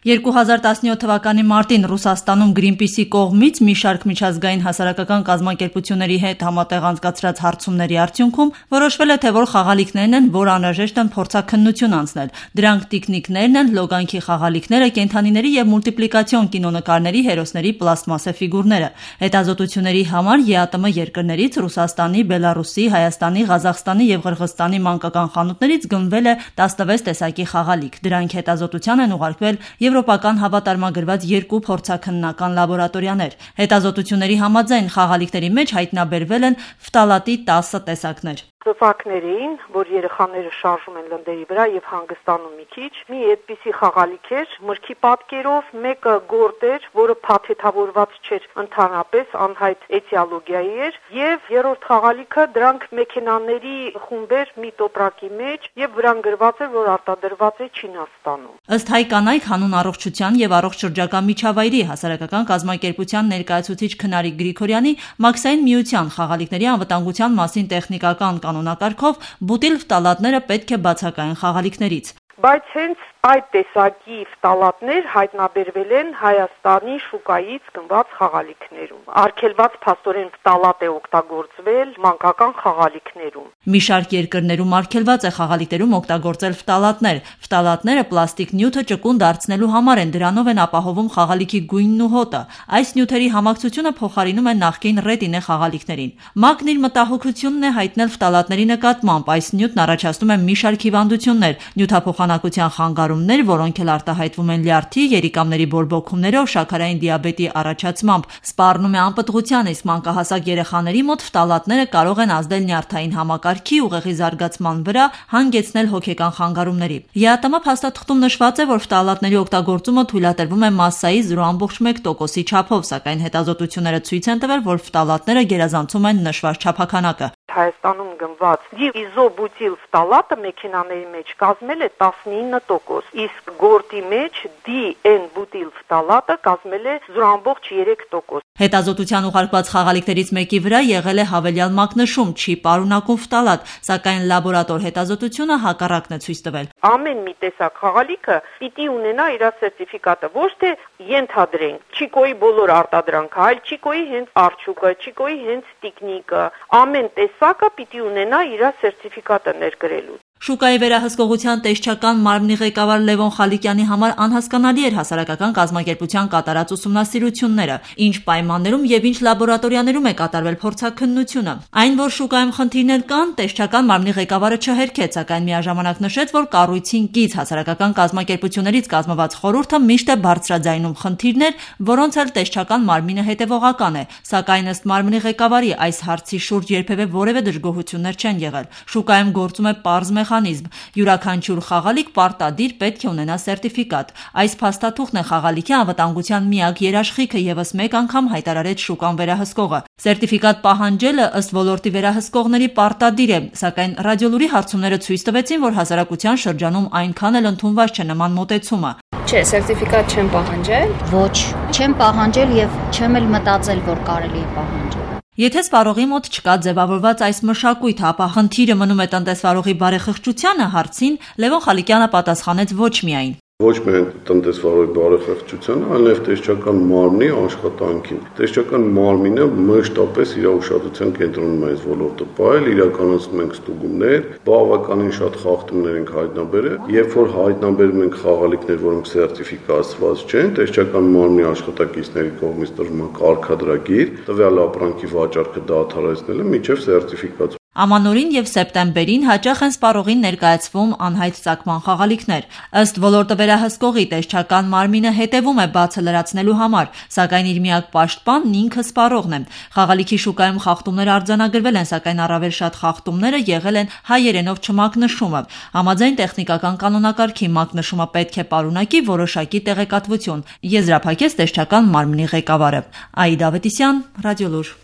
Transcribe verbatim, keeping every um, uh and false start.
երկու հազար տասնյոթ թվականի մարտին Ռուսաստանում Greenpeace-ի կողմից մի շարք միջազգային հասարակական կազմակերպությունների հետ համատեղ անցկացրած հարցումների արդյունքում որոշվել է, թե որ խաղալիքներն են, որ անհրաժեշտ են փորձաքննություն անցնել։ Դրանք տիկնիկներն են, լոգանքի խաղալիքները, կենդանիների եւ մուլտիպլիկացիոն կինոնկարների հերոսների պլաստմասե ֆիգուրները։ Հետազոտությունների համար ԵԱՏՄ երկրներից Ռուսաստանի, Բելարուսի, Հայաստանի, Ղազախստանի եւ Ղրղըզստանի մանկական խանութներից գնվել է տասնվեց տեսակի խաղալիք։ Դրանք հետազոտության են ուղարկվել Եվրոպական հավատարմագրված երկու փորձաքննական լաբորատորիաներ։ Հետազոտությունների համաձայն խաղալիքների մեջ հայտնաբերվել են ֆտալատի տասը տեսակներ։ Ծծակներ էին, որ երեխաները շարժում են լնդերի վրա եւ հանգստանում մի քիչ։ Մի այդպիսի խաղալիք էր, մրգի պատկերով, մեկը գորտ էր, որը փաթեթավորված չէր ընդհանրապես, անհայտ էտիոլոգիայի էր, եւ երրորդ խաղալիքը դրանք մեքենաների խումբեր մի տոպրակի մեջ եւ վրան գրված էր, որ արտադրված է Չինաստանում։ Ըստ հայ կանայք հանուն առողջության եւ առողջ շրջակա միջավայրի հասարակական կազմակերպության ներկայացուցիչ Քնարիկ Գրիգորյանի Մաքսային միության խաղալիքների անվտանգության մասին տեխնիկական կանոնակարգով բուտիլ ֆտալատները պետք է բացակայեն խաղալիքներից։ Բայց հենց այդ տեսակի ֆտալատներ հայտնաբերվել են Հայաստանի շուկայից գնված խաղալիքներում։ Արգելված փաստորեն ֆտալատ է օգտագործվել մանկական խաղալիքներում։ Մի շարք երկրներում արգելված է խաղալիքներում օգտագործել ֆտալատներ։ Ֆտալատները պլաստիկ նյութը ճկուն դարձնելու համար են, դրանով են ապահովում խաղալիքի գույնն ու հոտը։ Այս նյութերի համակցությունը փոխարինում է նախկին ռետինե խաղալիքներին։ ՄԱԿ-ն իր մտահոգությունն է հայտնել ֆտալատների նկատմամբ։ Այս նյութն առաջացնում է մի շարք հիվանդություններ, նյութափոխանակության խանգարումներ, որոնք էլ արտահայտվում են լյարդի, երիկամների բորբոքումներով, շաքարային դիաբետի առաջացմամբ, սպառնում է անպտղության, իսկ մանկահասակ երեխաների մոտ ֆտալատները կարող են ազդել նյարդային համակարգի ուղեղի զարգացման վրա, հանգեցնել հոգեկան խանգարումների։ ԵԱՏՄ փաստաթղթում նշված է, որ ֆտալատների օգտագործումը թույլատրվում է մասսայի զրո կόμμα մեկ տոկոսի չափով, սակայն հետազոտությունները ցույց են տվել, որ ֆտալատները գերազանցում են նշված չափաքանակը։ Հայաստանում գնված դիիզոբուտիլ ֆտալատը մեքենաների մեջ կազմել է տասնինը տոկոս, իսկ գորտի մեջ դի-էն-բուտիլ ֆտալատը կազմել է զրո կόμμα երեք տոկոս։ Հետազոտության ուղարկված խաղալիքներից մեկի վրա եղել է հավելյալ մակնշում՝ չի պարունակում ֆտալատ, սակայն լաբորատոր հետազոտությունը հակառակն է ցույց տվել։ Ամեն մի տեսակ խաղալիքը պիտի ունենա իր սերտիֆիկատը, ոչ թե ենթադրենք Չիկոյի բոլոր արտադրանքը, այլ Չիկոյի հենց արջուկը, Չիկոյի հենց տիկնիկը, ամեն տեսակը պիտի ունենա իր սերտիֆիկատը ներգրելու։ Շուկայի վերահսկողության տեսչական մարմնի ղեկավար Լևոն Խալիկյանի համար անհասկանալի էր հասարակական կազմակերպության կատարած ուսումնասիրությունները, ինչ պայմաններում եւ ինչ լաբորատորիաներում է կատարվել փորձաքննությունը։ Այն, որ շուկայում խնդիրներ կան, տեսչական մարմնի ղեկավարը չհերքեց, սակայն միաժամանակ նշեց, որ կառույցին կից հասարակական կազմակերպություններից կազմված խորհուրդը միշտ է բարձրաձայնում խնդիրներ, որոնց էլ տեսչական մարմինը հետևողական է, սակայն ըստ մարմնի ղեկավարի այս հարցի շուրջ երբևէ որևէ դժգոհություններ չեն եղել։ Շուկայում գործում է պարզ մեխանիզմ։ Յուրաքանչյուր խաղալիք պարտադիր պետք է ունենա սերտիֆիկատ։ Այս փաստաթուղթն է խաղալիքի անվտանգության միակ երաշխիքը, եւս մեկ անգամ հայտարարեց շուկան վերահսկողը։ Սերտիֆիկատ պահանջելը ըստ ոլորտի վերահսկողների պարտադիր է, սակայն ռադիոլուրի հարցումները ցույց տվեցին, որ հասարակության շրջանում այնքան էլ ընդունված չէ նման մոտեցումը։ Չէ, սերտիֆիկատ չեմ պահանջել։ Ոչ, չեմ պահանջել եւ չեմ էլ մտածել, որ կարելի է պահանջել։ Եթե սպառողի մոտ չկա ձևավորված այս մշակույթը, ապա խնդիրը մնում է տնտեսվարողի բարեխղճությանը հարցին, Լևոն Խալիկյանը պատասխանեց ոչ միայն։ Ոչ միայն տնտեսվարողի բարեխղճությանը, այլ նաև տեսչական մարմնի աշխատանքին։ Տեսչական մարմինը մշտապես իր ուշադրության կենտրոնում է այս ոլորտը պահել, իրականացնում ենք ստուգումներ, բավականին շատ խախտումներ ենք հայտնաբերել, երբ որ հայտնաբերում ենք խաղալիքներ, որոնք սերտիֆիկացված չեն, տեսչական մարմնի աշխատակիցների կողմից տրվում է կարգադրագիր, տվյալ ապրանքի վաճառքը դադարեցնելը մինչև սերտիֆիկացում։ Ամանորին եւ սեպտեմբերին հաճախ են սպառողին ներկայացվում անհայտ ծագման խաղալիքներ։ Ըստ ոլորտը վերահսկողի տեսչական մարմինը հետևում է բացը լրացնելու համար, սակայն իր միակ պաշտպանն ինքը սպառողն է։ Խաղալիքի շուկայում խախտումներ արձանագրվել են, սակայն առավել շատ խախտումները եղել են հայերենով չմակնշումը։ Համաձայն տեխնիկական կանոնակարգի մակնշումը պետք է պարունակի որոշակի տեղեկատվություն, եզրափակեց տեսչական մարմնի ղեկավարը։ Աիդա Ավետիսյան, Ռադիոլուր։